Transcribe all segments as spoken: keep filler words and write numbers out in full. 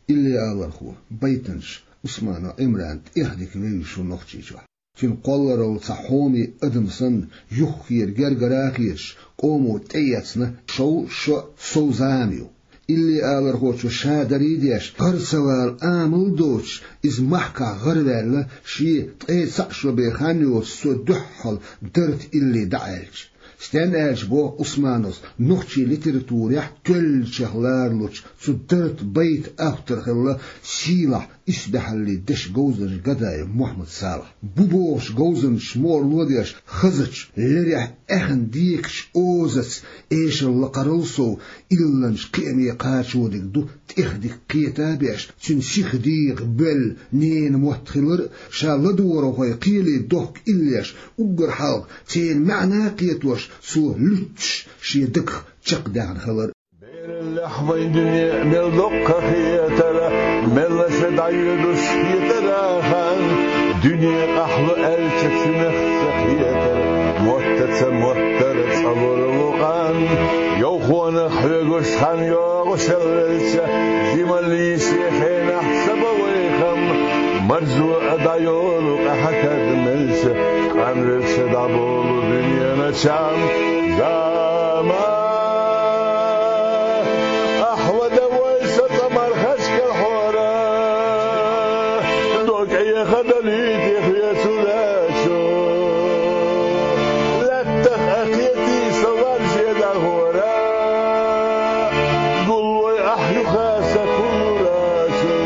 Илли алархо, байтанаш Усманов Ӏимрана тӀехдика вевзаш ву Нохчийчохь. Цуьнан кхолларалла цхьа хьоме адам санна, юххера гергара а хеташ, къомо тӀеэцна шовзткъа шо сов зама ю. Илли алархочо ша дарий а деш, гӀар ца вала амал а доцуш, иза махкахь гӀараваьлла, шен ткъе цхьаъ шо бен хан йоцуш цо дуьххьал дарта илли дӀааьлча. Стенна аьлча, боху Усмановс, нохчийн литературехь тоьллачех ларалучу цу дарта байта автор хилла сийлахь исбаьхьаллин дешан говзанча Гадаев Мухьаммад-Салахь. Бу бохучу говзанчаша мукъарло а деш, хазачу, лерехь аьхна декачу озаца эшар лакхарал сов, илланчу кхиаме кхачориг ду тӀехдика кхета а беш, цуьнан сиха дегӀан боьлла ненан мотт хилар а, ша ладогӀархойн кхеле дохку иллеш, уггар хьалха церан маьӀна а кхетош, цо луьтташ шен дагах чекхдаьхна хилар а. Бераллехь вайн дуьне мел доккха хетара, мелла ша дӀайоьдуш хетара хан, дуьне къахьлу аьлча цуьнах ца хетара, моттаца моттара цӀа лора ву къан. Йовхонах хьоьгуш хан йогӀуш велча, жималлин шен хенахь ца бан вай хам, марзо а дӀайолу къаьхьа мелча, къанвелча дӀаболу дуьненан чам. Зама, ахьа вада вай со цӀа мархаш карахьора, докъе хадалийти хьоьцу лачо. Лаьттах а кхетий со варже дагӀора, гуллой ахь юха са кулурачо.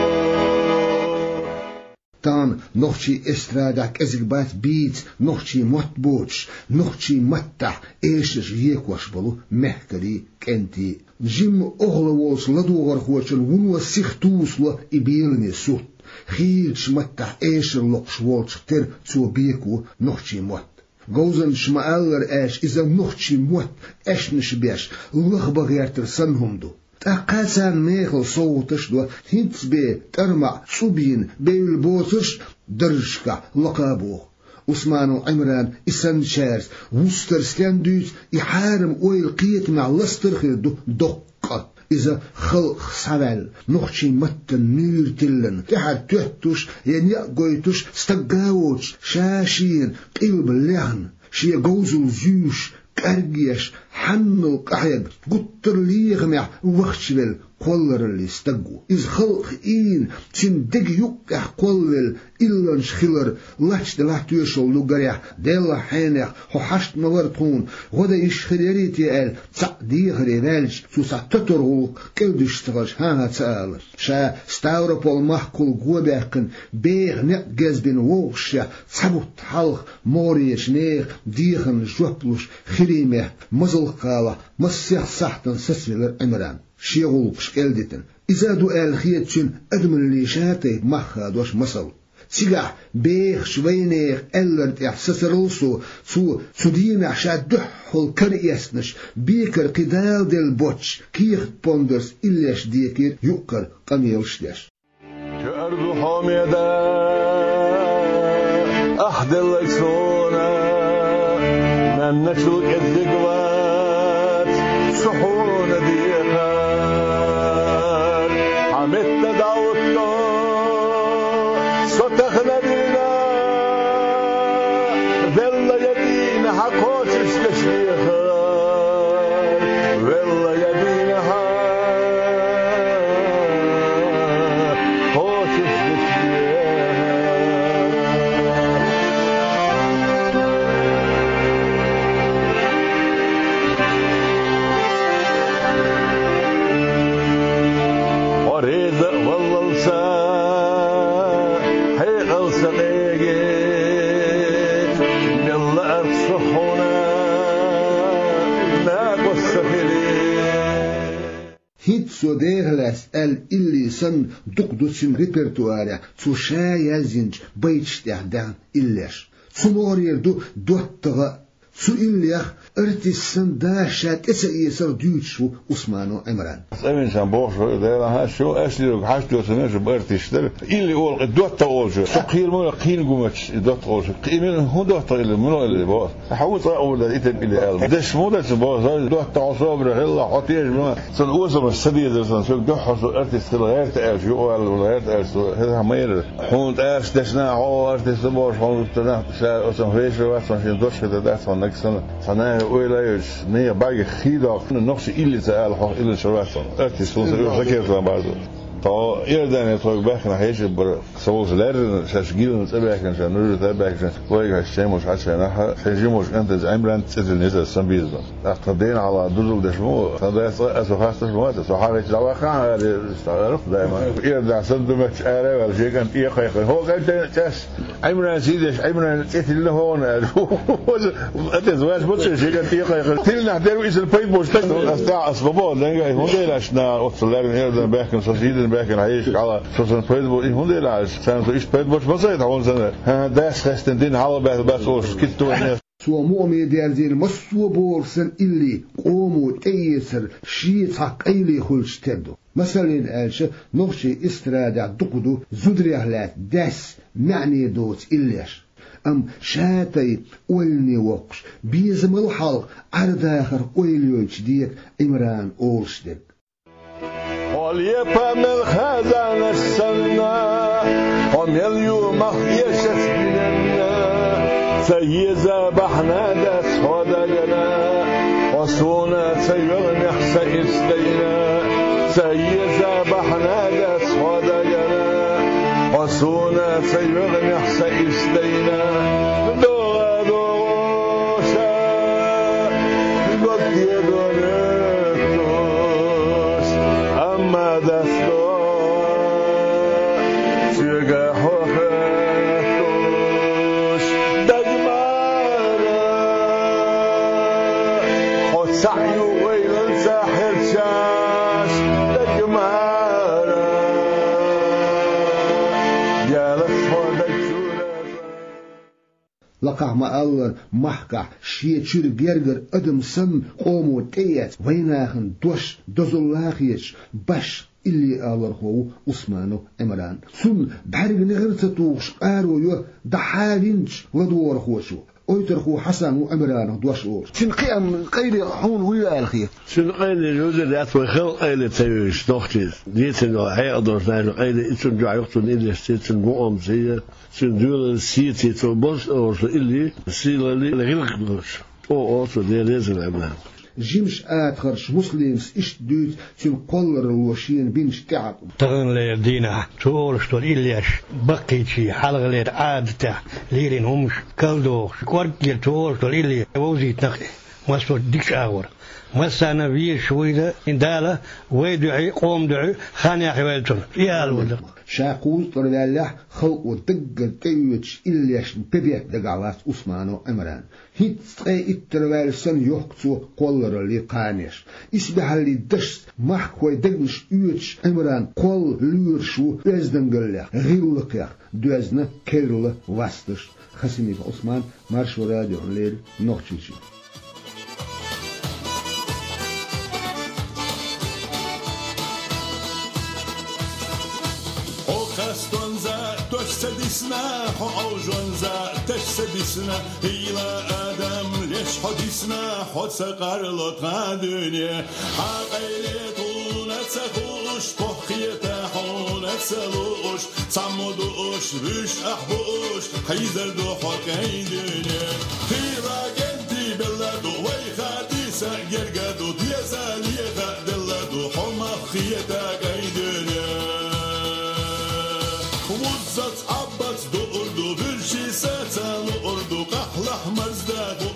Тахана нохчийн эстрадехь кӀезиг бац бийца нохчийн мотт боцуш, нохчийн маттахь эшарш екош болу мехкарий, кӀентий. Жимма охьала волчу ладогӀархочун вуно сиха тусало и беламе сурт. Хийрачу маттахь эшар локхуш волчух тера цо беко нохчийн мотт. Говзанчаша ма-аллара аьлча, иза нохчийн мотт аьшнаш беш, лахбан гӀертар санна хӀума ду. ТӀаккха царна мехала совгӀаташ а до, хӀинцца бен тӀармаӀ цӀу бийна бевлла боцурш а даржашкахь лакха а боху. Усманов Ӏимрана и санначаьрца вустар стенна дуьйцу, и хьарам ойла кхетамехь ластар а хир ду доккха къа. Иза халкъах схьаваьлла, нохчийн маттана нуьйр тиллина, тӀаьхьара тоьттуш я некъ гойтуш стаг а воцуш, ша-шена къилба лехна, шен говзалла зуьйш, кӀаргеш, хьанал къахьега, гуттар а лехамехь вахчавелла кхоллараллин стаг ву. Иза халкъах ийна, цуьнан дега юккъехь кхоллавелла илланча хилар лач делахь тоьшалла ду, гарехь, деллахь хьенех хьо хьашт ма вара тхуна, гӀо дан йиш хир ярий те аьлла, цхьаъ дехаре ваьлча, цо цхьа тотар гӀуллакх кӀелдуьсуш ца хилча, хӀан-хӀа ца алар. Ша Ставрополь-махкахула го баьккхина, беха некъ гезбина вовшашехь, цхьа бутт хьалха могӀарерчу нехан дехарна жоп луш, хиримехь, мазалкхалахь, массех сахьтана сацавелира Ӏимран, шен гӀуллакхаш кӀелдитина. Иза а ду аьлла хета цуьнан адамаллин ша тайпа мах хадош масал. Цигахь бехачу вайнехан аьлларна тӀехь сацарал а со, цо цу дийнахь ша дуьххьал кара эцнаш, бекара кхин даладелла боцчу кехат-пондарца иллеш декийра юккъера къамелаш деш. Коьрта ду хьо меда, ахь делларг суна, маьнначул кӀезиг вац со хьуна дехар. Хьан метта дӀахӀутту со тахана дина, велла я дийна хьан кхочушдеш вехар. Велла я дийна хьан кхочушдеш вехар. Хьо реза а валлалца, хьекъалца къеге, мелла арц со хьуна накъост ца хили. ХӀинцца цо деха лаьцна аьлла илли санна, дукха ду цуьнан репертуарехь цо ша язйинчу байташ тӀехь даьхна иллеш. Цу могӀарера ду доттагӀа а, Цу иллех артист санна дас ша тӀе ца эцар дуьйцуш ву Усманов Ӏимран. ЦӀа вина сан бохуш вара, Дела, хьан шу, ас лерг хьашт доцург шу артист дара. Илли олу кхин доттагӀа олуш. Со кхийра ма вара, кхин гуматаш и доттагӀа олуш. Кхин мила, хӀун доттагӀа илли, мила илли боху. Хьо ву цкъа а вур дара, и тайпа илли аьлла. Даш ма дац боху, сан доттагӀа хьо собаре хилла, хьо тешаш ма. Сан осамаш ца дезара сан, соьга дуьххьал со артист хила гӀерта аьлча, юкъа валла гӀерта аьлча, со хӀета ма ярра. Хьуна тӀаккха дешна хьо артист ду бохуш, хьуна тана ша оцунах вешар вац, сан шен дош хета дац хьуна нагахь санна. Цхьа наха ойла йоцуш, нехан бӀаьргех хий доккхуш, нохчийн илли ца ала, хьо илли ца вац хьуна. Артист хӀума ца, ю, сан кертан база. Тхо Иордане тхоьга баьхкина хьеший бара. Со волчу лаьррина, шаьш гилна цӀа баьхкина, ша нуьжар тӀе баьхкина, вайга хьаьжча шемуш хьачвайнахь, шайн жимачу кӀентаца Ӏимран цӀе тиллина иза сан безам. ТӀаккха тхан дена хьалха дузал деш ма ву, тхан дас цкъа а со хасташ ма вац, со хьагӀ ича дӀаваккхахьа аьлла, стаг арахь даима. Иордахь санна ду моьттуш ара а ваьлла, шен кӀант тӀе а кхайкхина. ХӀокху кӀантана цӀе Ӏимран сий деш, Ӏимран цӀе тиллина хьуна аьлла. Атес ваьш бу цӀе шен кӀант тӀе а кхайкхина. Тиллинехь дерг ву иза пайда болуш стаг. Ас тӀаьхьа ас ма боху, дайга, хӀунда аьлла аша наха оццул лаьррина Иордан баьхкина, со сий дина баьхкина хьеший хьала, со сан пайда бу, и хӀунда аьлла аша? Царна со иштта пайда болуш ма сайта хьуна санна. ХӀан, дас хестина дина хьалха баьхна бац олуш, китта вайна. Цо мукъаме дерзийна массо а бохург санна илли къомо тӀеэцар шен цхьа къайле хуьлучу тера ду. Масална аьлча, нохчийн эстрадехь дукха ду зударех лаьцна даьсса маьӀне доцу иллеш. Амма ша тайпа ойлане воккхуш, безамал хьалха Ӏар-дахарх ойла йойтуш дега Ӏимрана олуш дерг. Хьо лепа мел хазанаш санна, хьо мел ю мах эшац динанна, ца еза бахьана дац хьо дагана, хьо суна ца йоьгӀнехь сан ирс дайна, ца еза бахьана дац хьо дагана, хьо суна ца йоьгӀнехь сан ирс дайна. ДогӀа догӀуша, гог дедо моьттуш, амма дас догӀа, соьга хьо хоьттуш, дагмара, хьо цхьаъ ю вайланца хьерчаш, дагмара, ялас хьо даг чуьра. Лакхахь ма-аллара, махкахь шен чуьра гергара адам санна къомо тӀеэцна, вайнахана дош дозалла хеташ, башха илли алархо ву Усманов Ӏимран. Цунна бӀаьрга негӀар ца тухуш къаро йо дӀахьавинчу ладогӀархочо. Ойтерхо Хьасан ву Ӏимранах дош олуш. Цуьнан кхиам къайле хьуна хӀун ю аьлла хета? Цуьнан къайле жуьгтера дац, вай халкъан къайле ца вевзаш нохчийн дийцина йолу хьекъал долуш нахана къайле, и цунна дуьхьа ю-кх, цуьнан иллешца, цуьнан мукъамца, цуьнан доьналлица, цо болуш а олуш илли, сийлалли, гӀиллакх долуш. О, о, цо Дела реза ваьлла. Жимачу атагӀарчу Муслимас иштта дуьйцу цуьнан кхолларалло шена бинчу тӀеӀаткъаман. Таханлера дийнахь цо олуш долу иллеш баккхийчийн хьалхалера Ӏадатехь лелийна хӀумаш карладохуш, кӀорггера цо олуш долу илли вовзийтина-кх и массо а дикачу агӀор. Массарна везаш вуйла Дала вай дуьхьий, къоман дуьхьий хан яхйойла цунна. И ала ву. Ша кхузткъа ваьллехь, халкъо даггара тӀеоьцучу иллешна бебетта дагахь вац Усманов Ӏимран. ХӀинцца ткъе иттара ваьлла санна йохку цо кхоллараллин кханеш. Исбаьхьаллин дашца махкахойн дегнаш оьцуш Ӏимран кхолла лоьруш ву оьздангаллех, гӀиллакхех доьзна керла васташ. Хасимиков Ӏусман, Маршо радиона леррина, Нохчийчоь. Хьо хастонза тосса дисна, хьо Ӏовжонза тасса дисна, хӀийла адам леш хьо дисна, хьо ца къарло тхан дуьне. Хьан къайле тхуна ца хууш, поххета хьуна ца лууш, цхьаммо дууш, вуьш ахь бууш, хьийзар ду хьо кӀайн дуьне. Хила кӀентий белла ду, вайха диса герга ду, деза леха делла ду, хьо мах хета кӀайн дуьне. Вуззац, Ӏаббац дуур ду, вуьрши саца луур ду, къахьлахь марзда ду,